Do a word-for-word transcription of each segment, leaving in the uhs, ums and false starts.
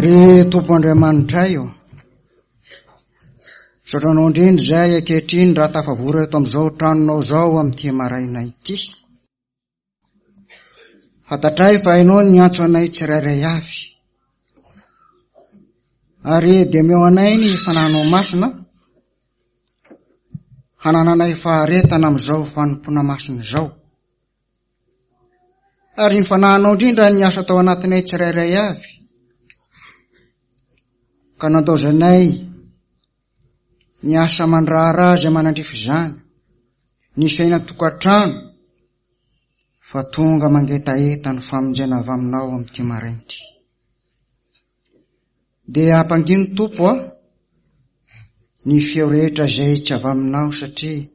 Ry Tompo Andriamanitray ô, misaotra Anao indrindra izay ankehitriny raha tafavory eto amin'izao tranonao izao amin'ity maraina ity. Fantatray fa Ianao niantso anay tsirairay avy. Ary dia omeo anay ny Fanahinao Masina hanananay faharetana amin'izao fanompoana masina izao. Ary ny Fanahinao indrindra ny asa tao anatinay tsirairay avy, ka nandaozanay ny asa aman-draharaha izay manandrify izany, ny fiainan-tokantrano, fa tonga mangetaheta ny famonjena avy aminao amin'ity maraina ity. Dia ampangino Tompo a, ny feo rehetra izay tsy avy aminao, satria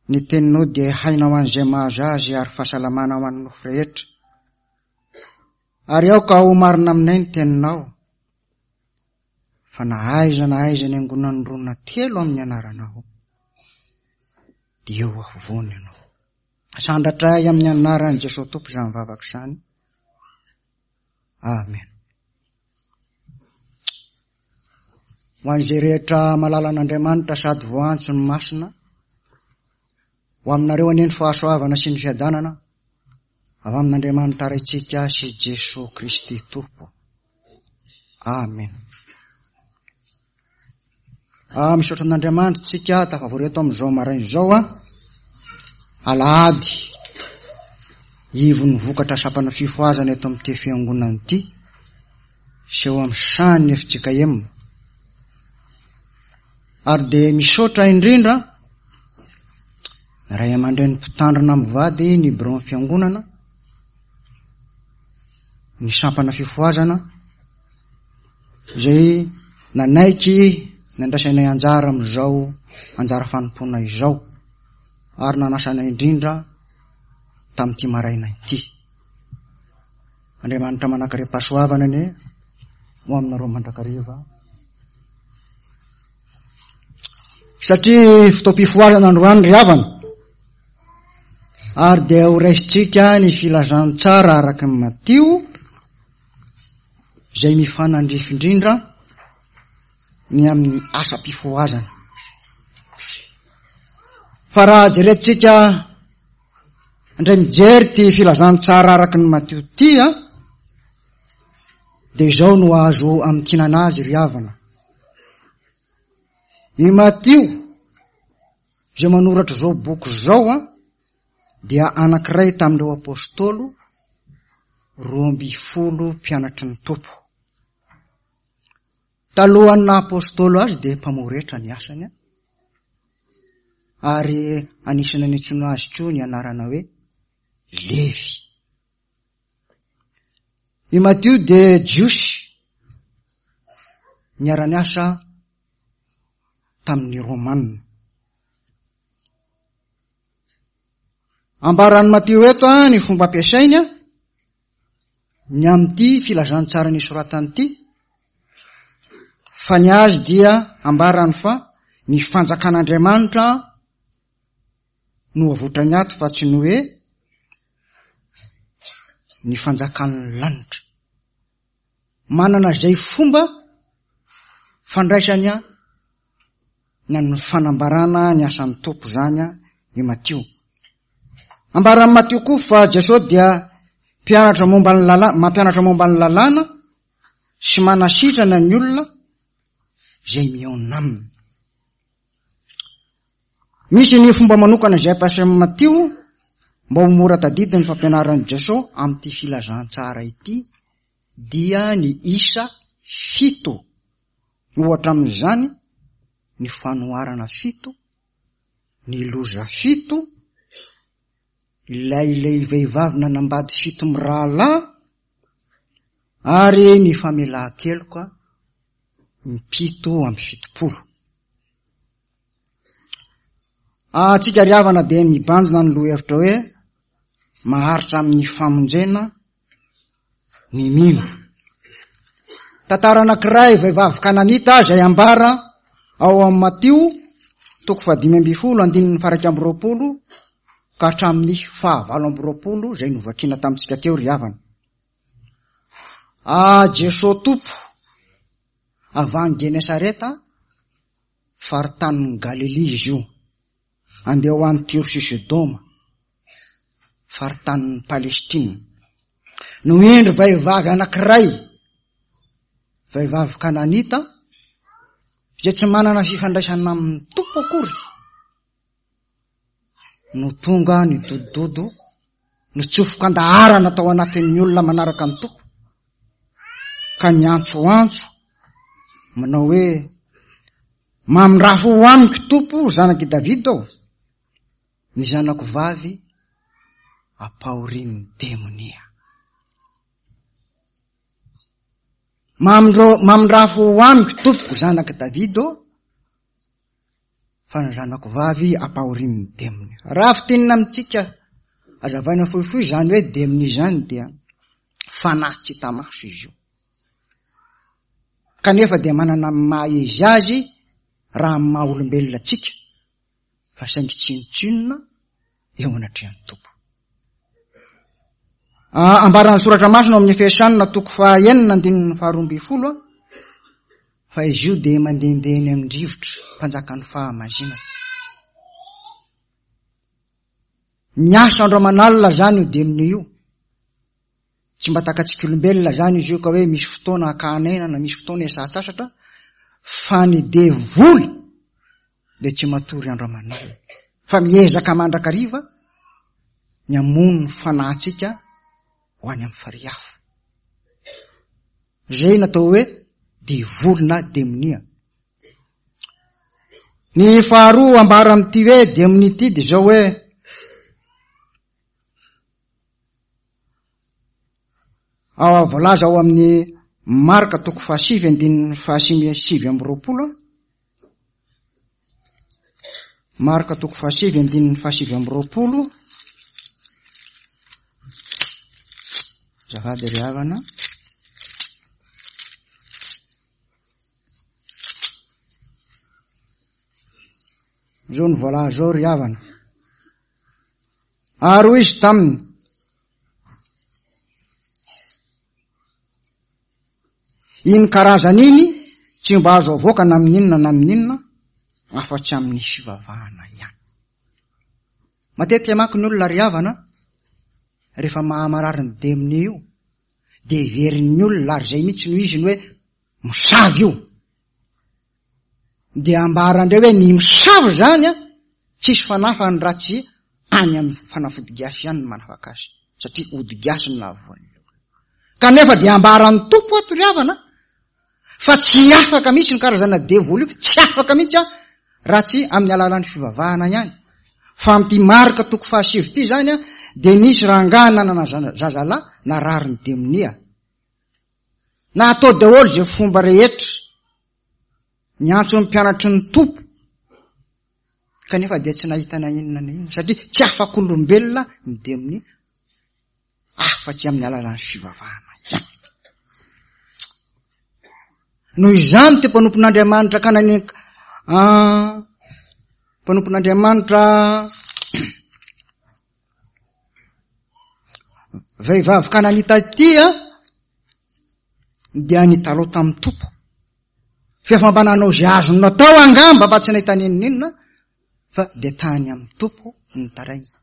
ny teninao dia haina ho an'izay mahazo azy ary fahasalamana ho an'ny nofo rehetra. Ary aoka ho marina aminay ny teninao, fa na aiza na aiza ny angonan'ny roa na telo amin'ny anaranao, dia eo afovoany ianao. Sandratray amin'ny anaran'i Jesosy Tompo izany vavaka izany. Amen. Ho an'izay rehetra malalan'Andriamanitra sady voantso ny masina, ho aminareo anie ny fahasoavana sy ny fiadanana avy amin'Andriamanitra Raintsika sy Jesoa Kristy Tompo. Amen. Ah, misaotra an'Andriamanitra tsika tafavory eto amin'izao maraina izao a. Alahady ivon'ny vokatra sampana fifohazana eto amin'ity fiangonana ity sy eo amin'ny sahan'ny F J K M. Ary dia misaotra indrindra ny ray aman-dreny mpitandrina mivady ny biraon'ny fiangonana, ny sampana fifohazana izay nanaiky nandraisanay anjara amin'izao anjara fanompoana izao ary nanasanay indrindra tamin'ity maraina ity. Andriamanitra manan-karem-pahasoavana anie ho aminareo mandrakariva. Satria fotoam-pifohazana androany ry havana, ary dia ho raisintsika ny filazantsara araka ny Matio izay mifanandrify indrindra ny amin'ny asam-pifohazana. Fa raha jerentsika indray mijery ty filazantsara araka ny Matio ty a, dia izao no azo amintinana azy ry havana. I Matio izay manoratra izao boky izao a, dia anankiray tamin'ireo apôstôly roa amby folo mpianatry ny Tompo. Talohan'ny naha apôstôly azy dia mpamoretra ny asany a, ary anisan'ny niantsoana azy koa ny anarana hoe Levy. I Matio dia Jiosy niara-niasa tamin'ny Romanina. Ambaran'i Matio eto a ny fomba ampiasainy a ny amin'ity filazantsara nisoratany ity, fa ny azy dia ambarany fa ny fanjakan'Andriamanitra no avotrany ato fa tsy ny hoe ny fanjakan'ny lanitra. Manana izay fomba fandraisany a ny amin'ny fanambarana ny asan'ny Tompo zany a i Matio. Ambaran'i Matio koa fa Jesosy dia mpianatra momba ny lalàna, mampianatra momba ny lalàna sy manasitrana ny olona izay mihaona aminy. Misy ny fomba manokana izay ampiasain'i Matio mba ho mora tadidy ny fampianaran'i Jesosy amin'ity filazantsara ity, dia ny isa fito. Ohatra amin'izany ny fanoharana fito, ny loza fito, ilay ilay vehivavy nanambady fito mirahalahy, ary ny famelan-keloka impito amby fitopolo. Antsika ry havana dia mibanjina ny lohahevitra hoe maharitra amin'ny famonjena ny mino. Tantara anankiray vehivavy kananita izay ambara ao amin'ny Matio toko fahadimy ambin'ny folo andininy faha-iraika amby roapolo ka hatramin'ny fahavalo amby roapolo izay novakina tamintsika teo ry havana. Ah, Jesoa Tompo avy any Genesareta, faritanin'i Galilia izy io, andeha ho any Tyro sy Sodoma, faritanin'i Palestina. No indro vehivavy anankiray, vehivavy kananita, izay tsy manana fifandraisana amin'ny Tompo akory, no tonga nidodododo, nitsofoka an-daharana tao anatin'ny olona manaraka ny Tompo, ka niantsoantso manao hoe: mamindrafo ho amiko Tompo, zanak'i Davida aho, ny zanako vavy ampahorin'ny demonia. Mamindro-, mamindrafo ho amiko Tompoko, zanak'i Davida aho, fa ny zanako vavy ampahorin'ny demonia. Raha fintinina amintsika, azavaina fohifohy izany hoe demonia izany dia fanahy tsy hita maso izy io. Kanefa dia manana ny maha izy azy raha amin'ny maha olombelona antsika, fa saingy tsinontsinona eo anatrehan'ny Tompo. Ah, ambaran'ny soratra masina ao amin'ny Efesianina toko fahaenina andininy faharoa ambin'ny folo, fa izy io dia mandehandeha eny amin'ny rivotra, mpanjakan'ny fahamazinana. Miasa andro aman'alina zany io demonia io. Tsy mba takatsika olombelona zany izy io ka hoe misy fotoana hakana na misy fotoana hiasatsasatra, fa ny devoly dia tsy matory andro aman'alina, fa miezaka mandrakariva ny hamono ny fanahintsika ho any amin'ny farihy afo. Zay natao hoe devoly na demonia. Ny faharoa ambara amin'ity hoe demonia ity dia zao hoe ao voalaza ao amin'ny Marka toko fahasivy andininy fahasivy sivy amby roapolo. Marka toko fahasivy andininy fahasivy amby roapolo. Azafady ry havana. Zao ny voalaza ao ry havana. Ary hoy izy taminy: iny karazana iny tsy mba azo avoaka na amin'inona na amin'inona afa-tsy amin'ny fivavahana ihany. Matetika manko ny olona ry havana, rehefa mahamarary ny demonia io, dia heverin'ny olona, ary izay mihitsy no izy ny hoe mosavy io. Dia ambarandreo hoe ny mosavy zany a, tsisy fanafany raha tsy any amin'ny fanafody gasy ihany no manafaka azy, satria ody gasy no nahavoan'ny olona. Kanefa dia ambaran'ny Tompo ato ry havana fa tsy afaka mihitsy ny karazana devoly io, tsy afaka mihitsy a, raha tsy amin'ny alalan'ny fivavahana ihany. Fa amin'ity Marka toko fahasivy ity zany a, dia nisy rangahy nanana zazalahy narary ny demonia. Na atao daholo izay fomba rehetra, niantso ny mpianatry ny Tompo, kanefa dia tsy nahita na inona na inona, satria tsy afak'olombelona ny demonia afa-tsy amin'ny alalan'ny fivavahana ihany. Noho izany ty mpanompon'Andriamanitra kanany, ah, mpanompon'Andriamanitra vehivavy kananita ity a, dia nitalao tamin'ny Tompo. Fa mba nanao izay azony natao angamba mba tsy nahita n'inon'inona, fa dia tany amin'ny Tompo ny taraina.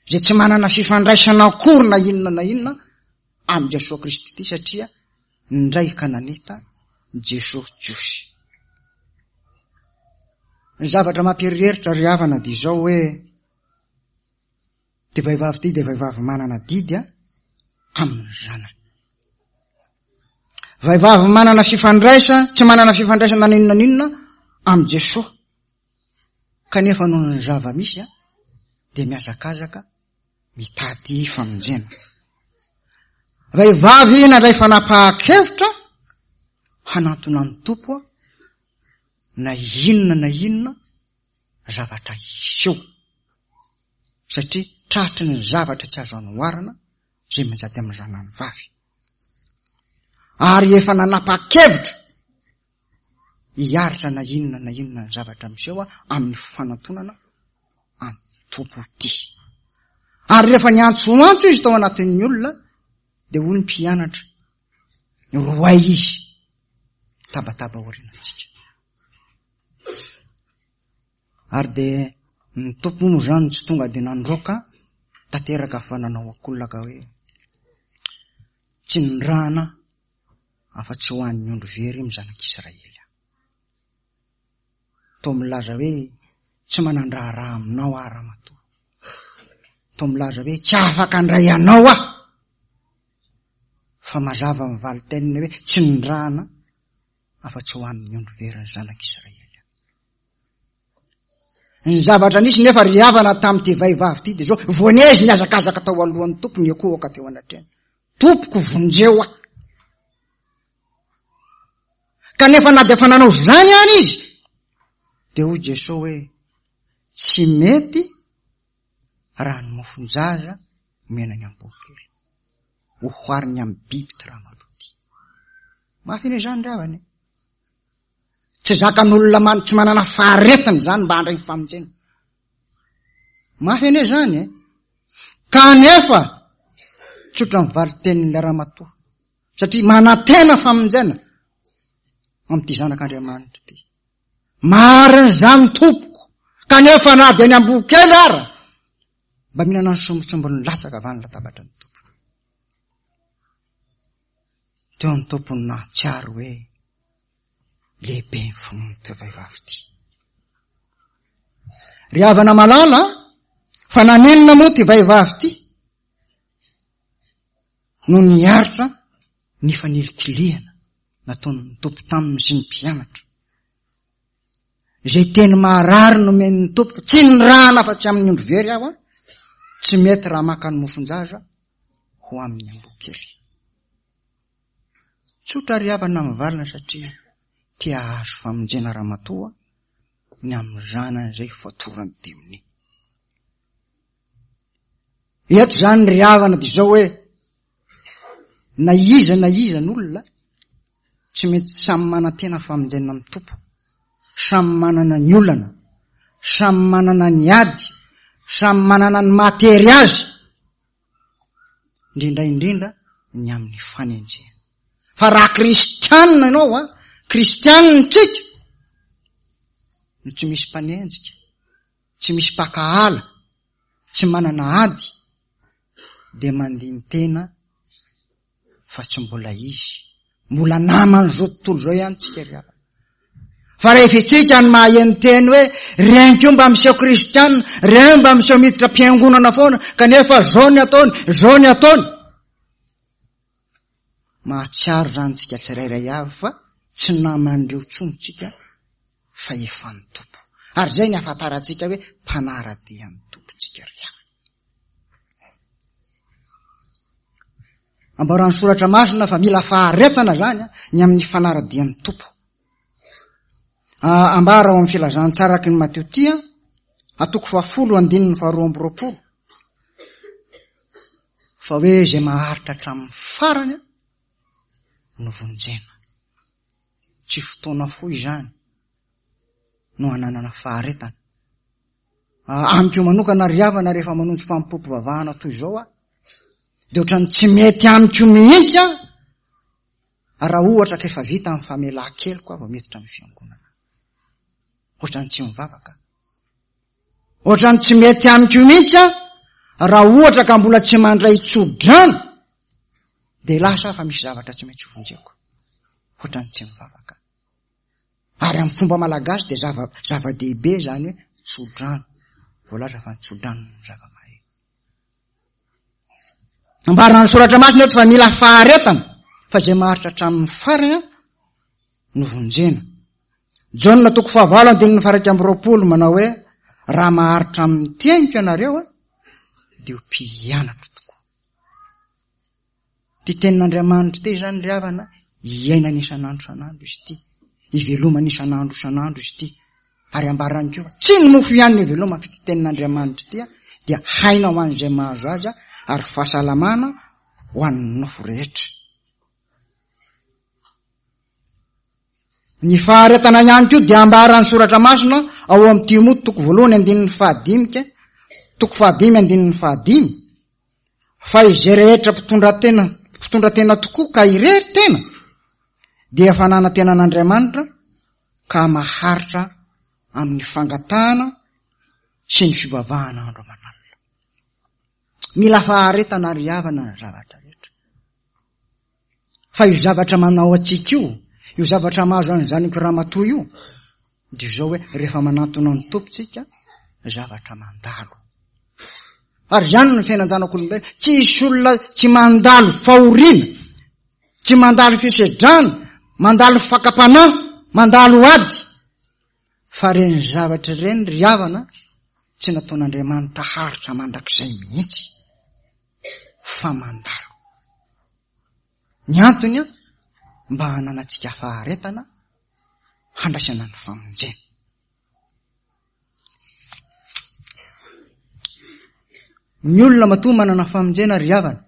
Izay tsy manana fifandraisana akory na inona na inona amin'i Jesoa Kristy ity, satria ndray kananita Jesoa Jiosy. Ny zavatra mampieritreritra ry havana dia izao hoe ty vehivavy ity dia vehivavy manana didy a amin'ny zanany. Vehivavy manana fifandraisa, tsy manana fifandraisana na inona na inona amin'i Jesoa, kanefa noho ny zava-misy a dia mihazakazaka mitady famonjena. Vehivavy nandray fanapahan-kevitra hanantona ny Tompo a, na inona na inona zavatra hiseho, satria tratry ny zavatra tsy azo anoharana izay mianjady amin'ny zanany vavy. Ary efa nanapa-kevitra hiaritra na inona na inona ny zavatra miseho amin'ny fanantonana an'ny Tompo ity. Ary rehefa niantsoantso izy tao anatin'ny olona, dia hoy ny mpianatra: Roay izy tabataba aorianantsika. Ary dia ny Tompo moa zany tsy tonga dia nandroaka tanteraka fa nanao akolaka hoe tsy nirahana afa-tsy ho an'ny ondry very amin'ny zanak'Israely. Toa milaza hoe tsy manan-draharaha aminao aho ramatoa. Toa milaza hoe tsy afaka handray anao aho. Fa mazava ny valin-teniny hoe tsy nirahana afa-tsy ho an'ny ondry very ny zanak'Israely. Ny zavatra nisy nefa ry havana tamin'ity vehivavy ity dia zao, voanezy nihazakazaka tao alohan'ny Tompo, niankohoka teo anatrehany. Tompoko, vonjeo aho. Kanefa na dia efa nanao izany ihany izy, dia hoy Jesoa hoe tsy mety raha ny mofon-jaza omena ny amboa kely. Ohariny amin'ny biby ty ramatoa ty. Mafy anie izany ry havana e. Tsy zakan'olona man-, tsy manana faharetana izany mba handray ny famonjena. Mafy anie izany e. Kanefa tsotra ny valin-tenin'ilay ramatoa, satria manantena famonjena amin'ity zanak'Andriamanitra ity. Marina izany tompoko, kanefa na dia ny amboa kely ara mba mihinana ny sombintsombiny latsaka avy any latabatra ny Tompo. Teo ny Tompo no nahatsiaro hoe lehibe ny finoan'ity vehivavy ity. Ry havana malala, fa naninona moa ity vehivavy ity no niaritra ny fanilikilihana nataon'ny Tompo taminy sy ny mpianatra? Izay teny maharary nomen'ny Tompo, tsy nirahana afa-tsy amin'ny ondry very aho, tsy mety raha maka ny mofon-jaza ho amin'ny amboa kely. Tsotra ry havana mivalina satria te hahazo famonjena ramatoa ny amin'ny zanany izay fatoran'ny demonia. Eto izany ry havana dia izao hoe na iza na iza n'olona tsy mety samy manantena famonjena amin'ny Tompo, samy manana ny olana, samy manana ny ady, samy manana ny mahatery azy, indrindra indrindra ny amin'ny fanenjehana. Fa raha kristianina ianao, a, kristianina tsika, no tsy misy mpanenjika, tsy misy mpakahala, tsy manana ady, dia mandini-tena fa tsy mbola izy, mbola naman'izao tontolo izao ihany tsika ry havana. Fa rehefa itsika ny maheno teny hoe reny koa mba miseho kristianina, reny mba miseho miditra am-piangonana foana, kanefa zao ny ataony, zao ny ataony. Mahatsiaro izany tsika tsirairay avy fa tsy naman'ireo intsony tsika fa efa ny Tompo. Ary izay ny ahafantarantsika hoe mpanara-dia ny Tompo tsika ry havana. Ambaran'ny soratra masina fa mila faharetana zany ny amin'ny fanara-dian'ny Tompo. Ambara ao amin'ny filazantsara araka ny Matio ty, atoko fahafolo andininy faharoa amby roapolo, fa hoe izay maharitra hatramin'ny farany no vonjena. Tsy fotoana fohy izany no hananana faharetana. Amiko manokana ry havana, rehefa manonjy fanompoam-pivavahana toy izao aho, dia ohatran'ny tsy mety amiko mihitsy aho raha ohatra ka efa vita ny famelan-keloka aho vao miditra amin'ny fiangonana. Ohatran'ny tsy mivavaka. Ohatran'ny tsy mety amiko mihitsy aho raha ohatra ka mbola tsy mandray tso-drano, dia lasa fa misy zavatra tsy maintsy vonjeko. Ohatran'ny tsy mivavaka. Ary amin'ny fomba malagasy dia zava-, zava-dehibe izany hoe tso-drano. Voalaza fa ny tso-drano no zava-mahery. Ambaran'ny soratra masina eto fa mila faharetana, fa izay maharitra hatramin'ny farany no vonjena. Jaona toko fahavalo andininy faha-iraika amby roapolo manao hoe raha maharitra amin'ny teniko ianareo dia ho mpianatro tokoa. Ty tenin'Andriamanitra ity izany ry havana, iainana isan'andro isan'andro izy ity, ivelomana isan'andro isan'andro izy ity. Ary ambarany koa fa tsy ny mofo ihany no ivelomana, fa ity tenin'Andriamanitra ity dia haina ho an'izay mahazo azy ary fahasalamana ho an'ny nofo rehetra. Ny faharetana ihany koa dia ambaran'ny soratra masina ao amin'ny Timoty toko voalohany andininy fahadimy, toko fahadimy andininy fahadimy, fa izay rehetra mpitondra tena, mpitondra tena tokoa ka irery tena dia fananantena an'Andriamanitra ka maharitra amin'ny fangatahana sy ny fivavahana andro aman'alina. Mila faharetana ry havana ny zavatra rehetra. Fa io zavatra manao antsika io, io zavatra mahazo an'izany ramatoa io, dia izao hoe rehefa manantona ny Tompo tsika, zavatra mandalo. Ary izany no fiainan-janak'olombelona, tsy hisy olona tsy mandalo fahoriana, tsy mandalo fisedrana, mandalo fakam-panahy, mandalo ady. Fa reny zavatra ireny ry havana tsy nataon'Andriamanitra haritra mandrakizay mihitsy, fa mandalo. Ny antony mba hananantsika faharetana handraisana ny famonjena. Ny olona matoa manana famonjena ry havana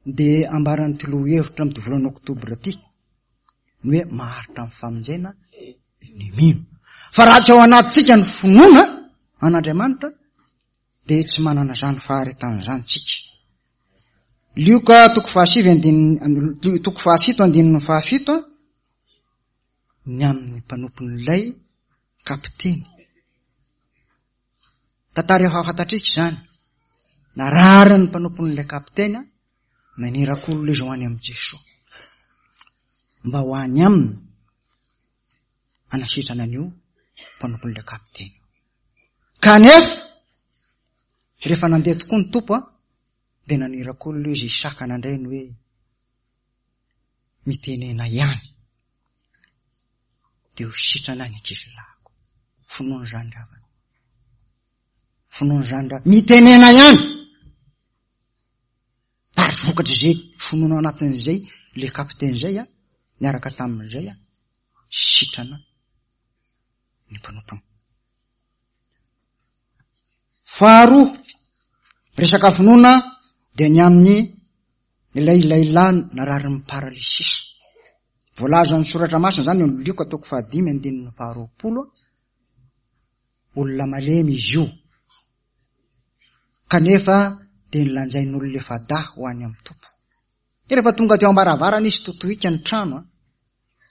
dia ambaran'ity lohahevitra amin'ity volana oktobra ity ny hoe maharitra amin'ny famonjena ny mino. Fa raha tsy ao anatintsika ny finoana an'Andriamanitra dia tsy manana izany faharetana izany tsika. Lioka toko fahasivy andininy, toko fahafito andininy fahafito ny amin'ny mpanompon'ilay kapiteny. Tantara efa fantatrika izany. Narary ny mpanompon'ilay kapiteny, naniraka olona izy ho any amin'i Jesoa mba ho any aminy hanasitrana an'io mpanompon'ilay kapiteny. Kanefa rehefa nandeha tokoa ny Tompo dia naniraka olona izy hisakana indray ny hoe mitenena ihany dia ho sitrana ny ankizilahiko. Finoana izany ry havana. Finoana izany ry havana. Mitenena ihany. Ary vokatr'izay finoana ao anatin'izay le kapiteny izay a, niaraka tamin'izay a, sitrana ny mpanompony. Faharoa, resaka finoana dia ny amin'ny ilay lehilahy nararin'ny paralysisa. Voalazan'ny soratra masina izany eo amin'ny Lioka toko fahadimy andininy faharoapolo. Olona malemy izy io, kanefa dia nilanjain'olona efa-dahy ho any amin'ny Tompo. Dia rehefa tonga teo am-baravarana izy, totohika ny trano,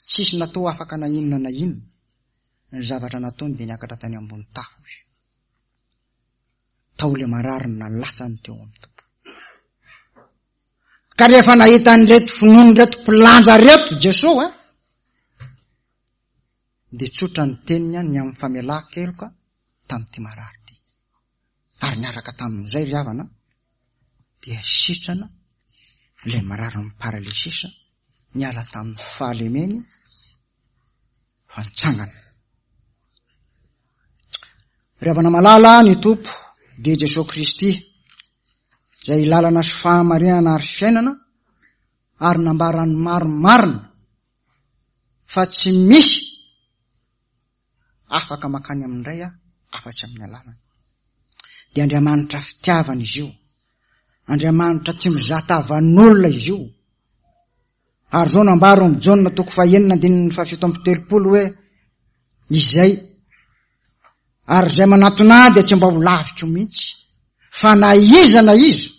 tsisy natao afaka na inona na inona. Ny zavatra nataony dia niakatra tany ambony tafo izy. Tao ilay marary nalatsany teo amin'ny Tompo. Ka rehefa nahita an'ireto finoan'ireto mpilanja reto Jesoa, dia tsotra ny teniny ny amin'ny famelan-keloka tamin'ity marary ity. Ary niaraka tamin'izay ry havana dia sitrana ilay marary ny paralysisa, niala tamin'ny fahalemeny fa nitsangana. Ry havana malala, ny Tompo dia Jesoa Kristy, izay lalana sy fahamarinana ary fiainana, ary nambarany marimarina fa tsy misy afaka makany amin'ny Ray afa-tsy amin'ny alalany. Dia Andriamanitra fitiavana izy io. Andriamanitra tsy mizaha tavan'olona izy io. Ary zao nambara amin'ny Jaona toko fahenina andininy fahafito amby telopolo hoe izay ary izay manatona ahy dia tsy mba ho lavitro mihitsy, fa na iza na iza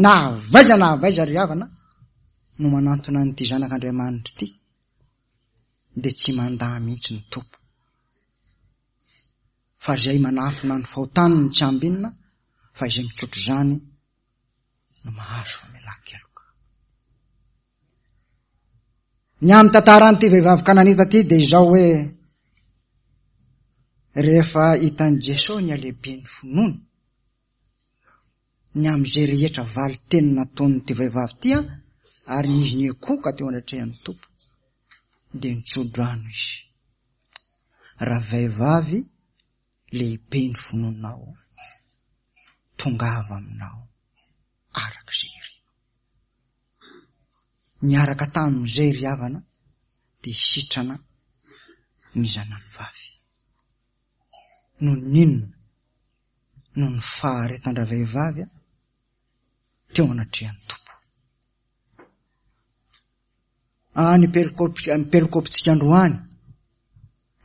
na avaiza na avaiza ry havana no manantona an'ity zanak'Andriamanitra ity dia tsy mandà mihitsy ny Tompo. Fa izay manafina ny fahotany no tsy ambinina, fa izay mitsotro izany no mahazo famelan-keloka. Ny amin'ny tantaran'ity vehivavy kananita ity dia izao hoe rehefa hitan'i Jesoa ny halehiben'ny finoany, ny amin'izay rehetra valin-teny nataon'ity vehivavy ity, ary izy nikoka teo anatrehan'ny Tompo, dia nitso-drano izy. Raha vehivavy lehibe ny finoanao, tongava aminao araka izay irinao. Niaraka tamin'izay ry havana dia sitrana ny zanany vavy. Noho ny inona? Noho ny faharetan-dravehivavy teo anatrehan'ny Tompo. Ah, ny pelokopitsika androany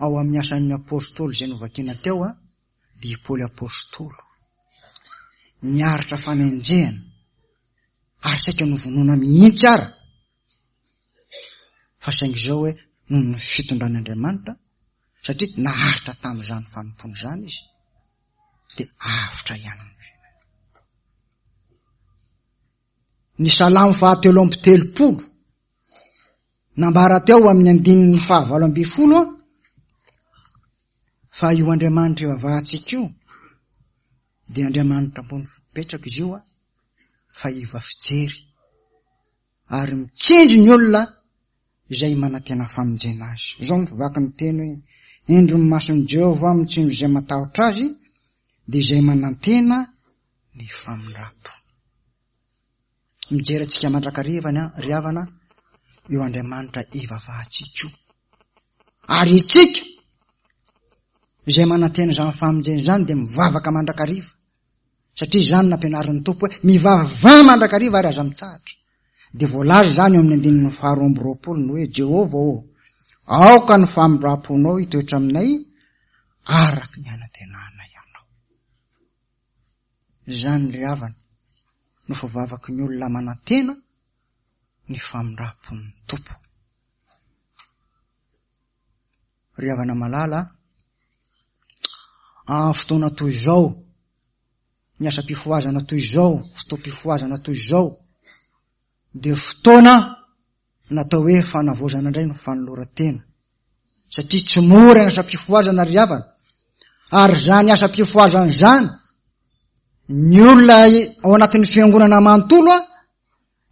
ao amin'ny asan'ny apôstôly izay novakina teo, dia i Paoly apôstôly niaritra fanenjehana ary saika novonoina mihitsy ara. Fa saingy izao hoe noho ny fitondran'Andriamanitra, satria naharitra tamin'izany fanompoana izany izy, dia avotra ihany ny fiainany. Ny Salamo fahatelo amby telopolo, nambara teo amin'ny andininy fahavalo ambin'ny folo, fa io Andriamanitra ivavahantsika io dia Andriamanitra ambony fipetraka izy io, fa iva fijery ary mitsinjo ny olona izay manantena famonjena azy. Izao no fivaky ny teny hoe: indro ny mason'i Jehovah mitsinjo izay matahotra azy, dia izay manantena ny famindram-po. Mijery antsika mandrakariva ny ry havana io Andriamanitra ivavahantsika io. Ary itsika izay manantena izany famonjena izany dia mivavaka mandrakariva, satria izany nampianarin'ny Tompo hoe mivavaha mandrakariva ary aza mitsahatra. Dia voalaza izany eo amin'ny andininy faharoa amby roapolo ny hoe: Jehovah ô, aoka ny famindram-ponao hitoetra aminay araka ny anantenanay anao. Izany ry havana no fivavaky ny olona manantena ny famindram-pon'ny Tompo. Ry havana malala, amin'ny fotoana toy izao, ny asam-pifohazana toy izao, fotoam-pifohazana toy izao, dia fotoana natao hoe fanavaozana indray ny fanoloran-tena, satria tsy mora ny asam-pifohazana ry havana. Ary izany asam-pifohazana izany, ny olona ao anatin'ny fiangonana manontolo a,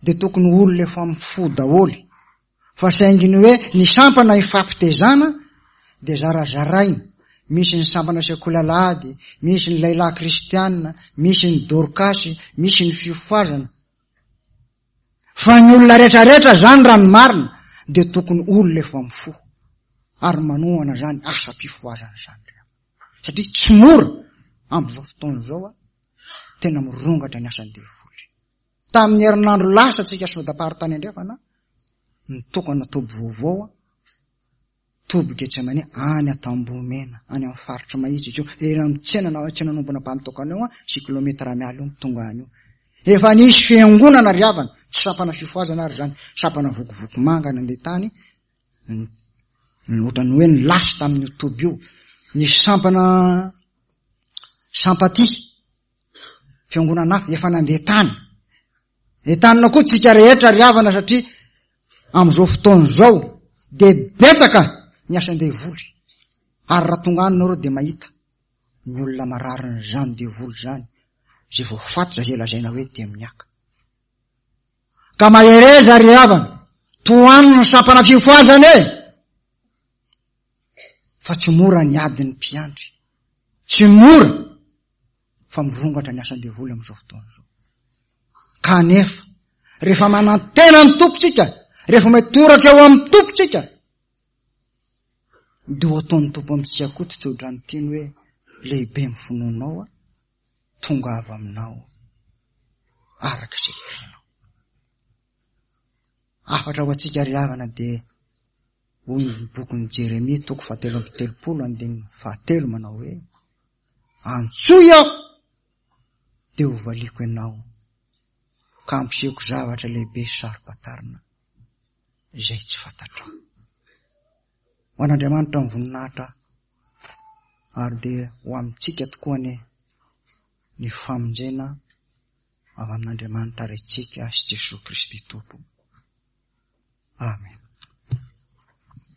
dia tokony olona efa mifoha daholo, fa saingy ny hoe ny sampana ifampitezana dia zarazaraina. Misy ny sampana sekoly alahady, misy ny lehilahy kristianina, misy ny dorkasy, misy ny fifohazana. Fa ny olona rehetrarehetra zany raha ny marina dia tokony olona efa mifoha ary manohana zany asam-pifohazana zany, satria tsy mora amin'izao fotoana izao a, tena mirongatra ny asan'ny devoly. Tamin'ny herinandro lasa tsika synodam-paritany andrefana nitokana toby vaovao, toby Getsemane any Antambomena, any amin'ny faritra Mahitsy izy io, ery amin'ny tsena na tsena nombona ampamitokana io, six kilomètres miala io tonga any io. Efa nisy fiangonana ry havana, tsy sampana fifohazana ary zany, sampana vokovoko manga nandeha tany, ohatran'ny hoe nilasy tamin'io toby io. Nisy sampana sampaty, fiangonana hafa efa nandeha tany. Entanina koa tsika rehetra ry havana, satria amin'izao fotoana izao dia betsaka ny asan-devoly. Ary raha tonga any nareo dia mahita ny olona mararin'izany devoly izany, izay voafatitra, izay lazaina hoe demoniaka. Ka mahereza ry havana, tohano ny sampana fifohazana e! Fa tsy mora ny adin'ny mpiandry, tsy mora fa mirongatra ny asan-devoly amin'izao fotoana izao. Kanefa rehefa manantena ny Tompontsika, rehefa mitoraka eo amin'ny Tompontsika, dia ho ataon'ny Tompo amintsika koa ty tsodrano tiany hoe: lehibe ny finoanao, tonga avy aminao araka izay irinao. Hafatra ho antsika ry havana dia hoy ny bokin'i Jeremia toko fahatelo amby telopolo andininy fahatelo manao hoe: antsoy aho dia ho valiako ianao, ka hampisehoko zavatra lehibe sy saro-pantarina izay tsy fantatrao. Ho an'Andriamanitra ny voninahitra, ary dia ho amintsika tokoa anie ny famonjena avy amin'Andriamanitra Raintsika sy Jesoa Kristy Tompo. Amen.